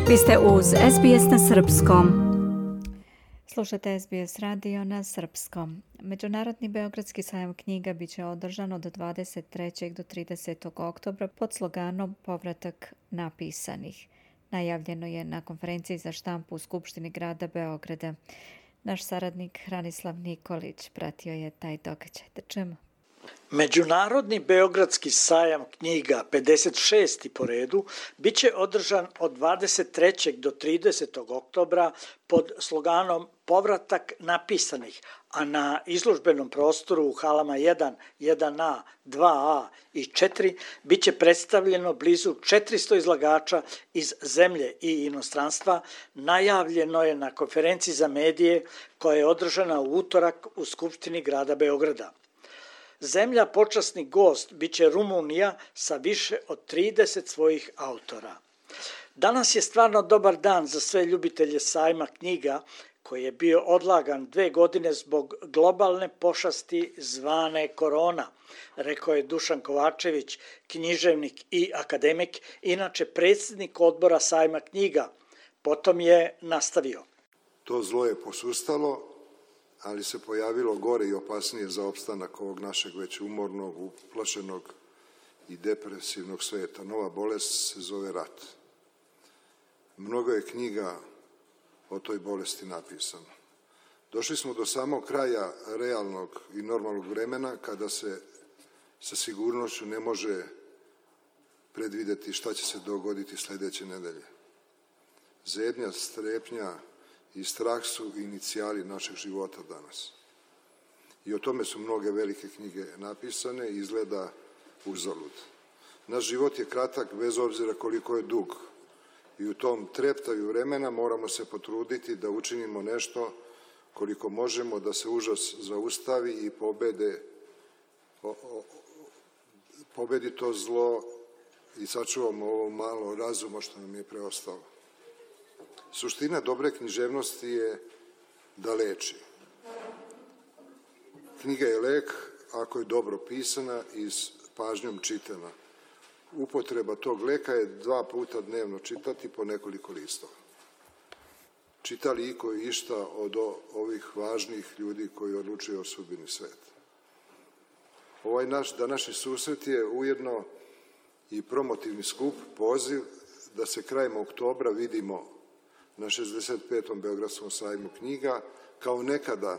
Vi ste uz SBS na srpskom. Slušate SBS radio na srpskom. Međunarodni Beogradski sajam knjiga bit će održan od 23. do 30. oktobra pod sloganom Povratak napisanih. Najavljeno je na konferenciji za štampu u Skupštini grada Beograda. Naš saradnik Hranislav Nikolić pratio je taj događaj. Da čujemo. Međunarodni Beogradski sajam knjiga, 56. po redu, bit će održan od 23. do 30. oktobra pod sloganom Povratak napisanih, a na izložbenom prostoru u halama 1, 1A, 2A i 4 bit će predstavljeno blizu 400 izlagača iz zemlje i inostranstva. Najavljeno je na konferenciji za medije koja je održana u utorak u Skupštini grada Beograda. Zemlja počasni gost biće Rumunija sa više od 30 svojih autora. Danas je stvarno dobar dan za sve ljubitelje sajma knjiga koji je bio odlagan 2 godine zbog globalne pošasti zvane korona, rekao je Dušan Kovačević, književnik i akademik, inače predsjednik odbora sajma knjiga. Potom je nastavio. To zlo je posustalo, ali se pojavilo gore i opasnije za opstanak ovog našeg već umornog, uplašenog i depresivnog sveta. Nova bolest se zove rat. Mnogo je knjiga o toj bolesti napisano. Došli smo do samog kraja realnog i normalnog vremena kada se sa sigurnošću ne može predvideti šta će se dogoditi sljedeće nedelje. Zebnja, strepnja i strah su inicijali našeg života danas. I o tome su mnoge velike knjige napisane i izgleda uzalud. Naš život je kratak bez obzira koliko je dug. I u tom treptaju vremena moramo se potruditi da učinimo nešto koliko možemo da se užas zaustavi i pobedi to zlo i sačuvamo ovo malo razuma što nam je preostalo. Suština dobre književnosti je da leči. Knjiga je lek ako je dobro pisana i s pažnjom čitana. Upotreba tog leka je 2 puta dnevno čitati po nekoliko listova. Čita li iko išta od ovih važnih ljudi koji odlučuju o sudbini sveta? Ovaj naš današnji susret je ujedno i promotivni skup, poziv da se krajem oktobra vidimo na 65. Beogradskom sajmu knjiga, kao nekada.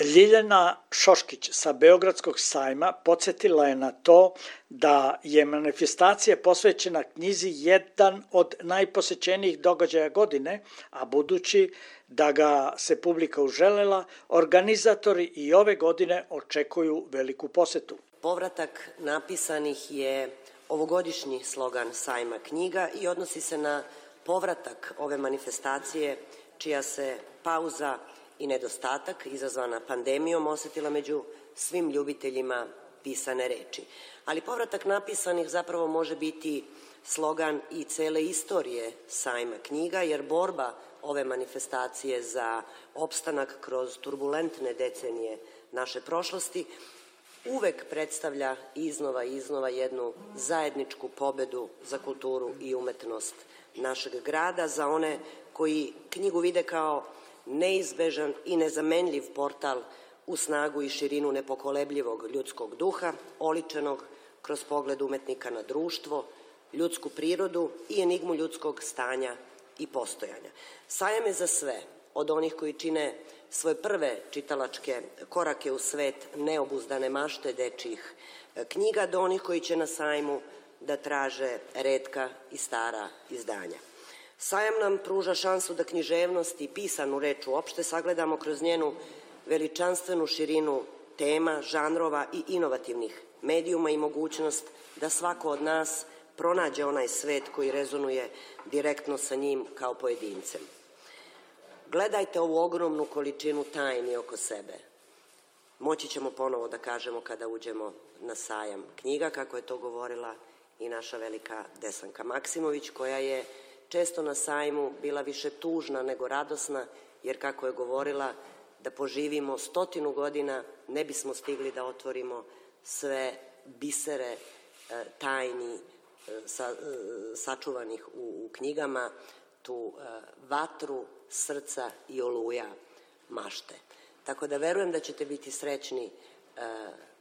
Ljiljana Šoškić sa Beogradskog sajma podsjetila je na to da je manifestacija posvećena knjizi jedan od najposećenijih događaja godine, a budući da ga se publika uželela, organizatori i ove godine očekuju veliku posetu. Povratak napisanih je ovogodišnji slogan sajma knjiga i odnosi se na povratak ove manifestacije čija se pauza i nedostatak izazvana pandemijom osjetila među svim ljubiteljima pisane reči. Ali povratak napisanih zapravo može biti slogan i cele istorije sajma knjiga, jer borba ove manifestacije za opstanak kroz turbulentne decenije naše prošlosti uvek predstavlja iznova jednu zajedničku pobedu za kulturu i umetnost našeg grada, za one koji knjigu vide kao neizbežan i nezamenljiv portal u snagu i širinu nepokolebljivog ljudskog duha, oličenog kroz pogled umetnika na društvo, ljudsku prirodu i enigmu ljudskog stanja i postojanja. Sajam je za sve, od onih koji čine svoje prve čitalačke korake u svet neobuzdane mašte dečjih knjiga, do onih koji će na sajmu da traže retka i stara izdanja. Sajam nam pruža šansu da književnost i pisanu reč uopšte sagledamo kroz njenu veličanstvenu širinu tema, žanrova i inovativnih medijuma i mogućnost da svako od nas pronađe onaj svet koji rezonuje direktno sa njim kao pojedincem. Gledajte ovu ogromnu količinu tajni oko sebe. Moći ćemo ponovo da kažemo kada uđemo na sajam knjiga, kako je to govorila i naša velika Desanka Maksimović, koja je često na sajmu bila više tužna nego radosna, jer kako je govorila, da poživimo 100 godina ne bismo stigli da otvorimo sve bisere tajni sačuvanih u knjigama tu vatru srca i oluja mašte. Tako da verujem da ćete biti srećni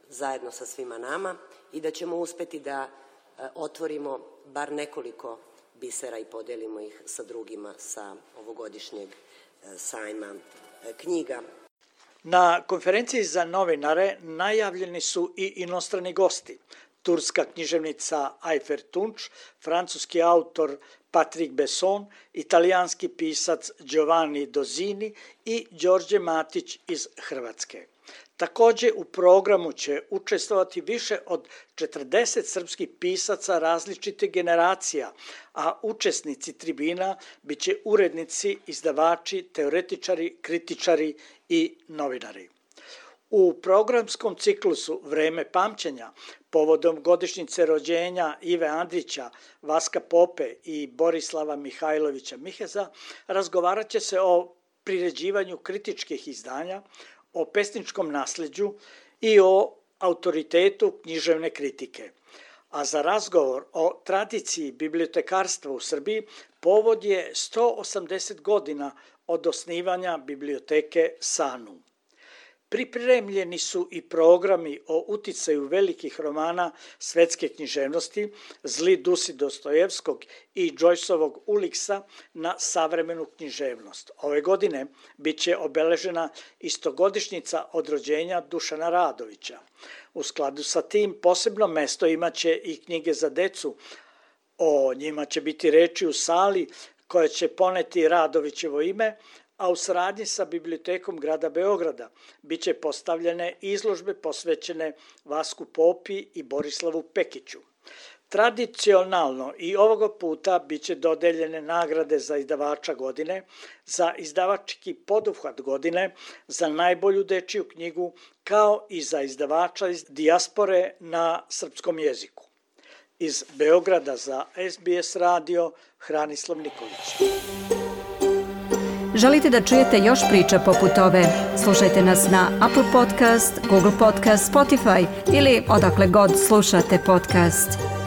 zajedno sa svima nama i da ćemo uspeti da otvorimo bar nekoliko bisera i podelimo ih sa drugima sa ovogodišnjeg sajma knjiga. Na konferenciji za novinare najavljeni su i inostrani gosti. Turska književnica Ayfer Tunç, francuski autor Patrick Besson, italijanski pisac Giovanni Dozini i Đorđe Matić iz Hrvatske. Također u programu će učestvovati više od 40 srpskih pisaca različitih generacija, a učesnici tribina bit će urednici, izdavači, teoretičari, kritičari i novinari. U programskom ciklusu Vreme pamćenja, povodom godišnjice rođenja Ive Andrića, Vaska Pope i Borislava Mihajlovića Miheza, razgovarat će se o priređivanju kritičkih izdanja, o pesničkom nasleđu i o autoritetu književne kritike. A za razgovor o tradiciji bibliotekarstva u Srbiji povod je 180 godina od osnivanja biblioteke SANU. Pripremljeni su i programi o uticaju velikih romana svetske književnosti, Zli dusi Dostojevskog i Joyceovog Uliksa na savremenu književnost. Ove godine bit će obeležena istogodišnjica od rođenja Dušana Radovića. U skladu sa tim posebno mesto imaće i knjige za decu. O njima će biti reči u sali koja će poneti Radovićevo ime, a u saradnji sa Bibliotekom grada Beograda bit će postavljene izložbe posvećene Vasku Popi i Borislavu Pekiću. Tradicionalno i ovoga puta bit će dodeljene nagrade za izdavača godine, za izdavački poduhvat godine, za najbolju dečiju knjigu, kao i za izdavača iz dijaspore na srpskom jeziku. Iz Beograda za SBS radio, Hranislav Nikolić. Želite da čujete još priča poput ove? Slušajte nas na Apple Podcast, Google Podcast, Spotify ili odakle god slušate podcast.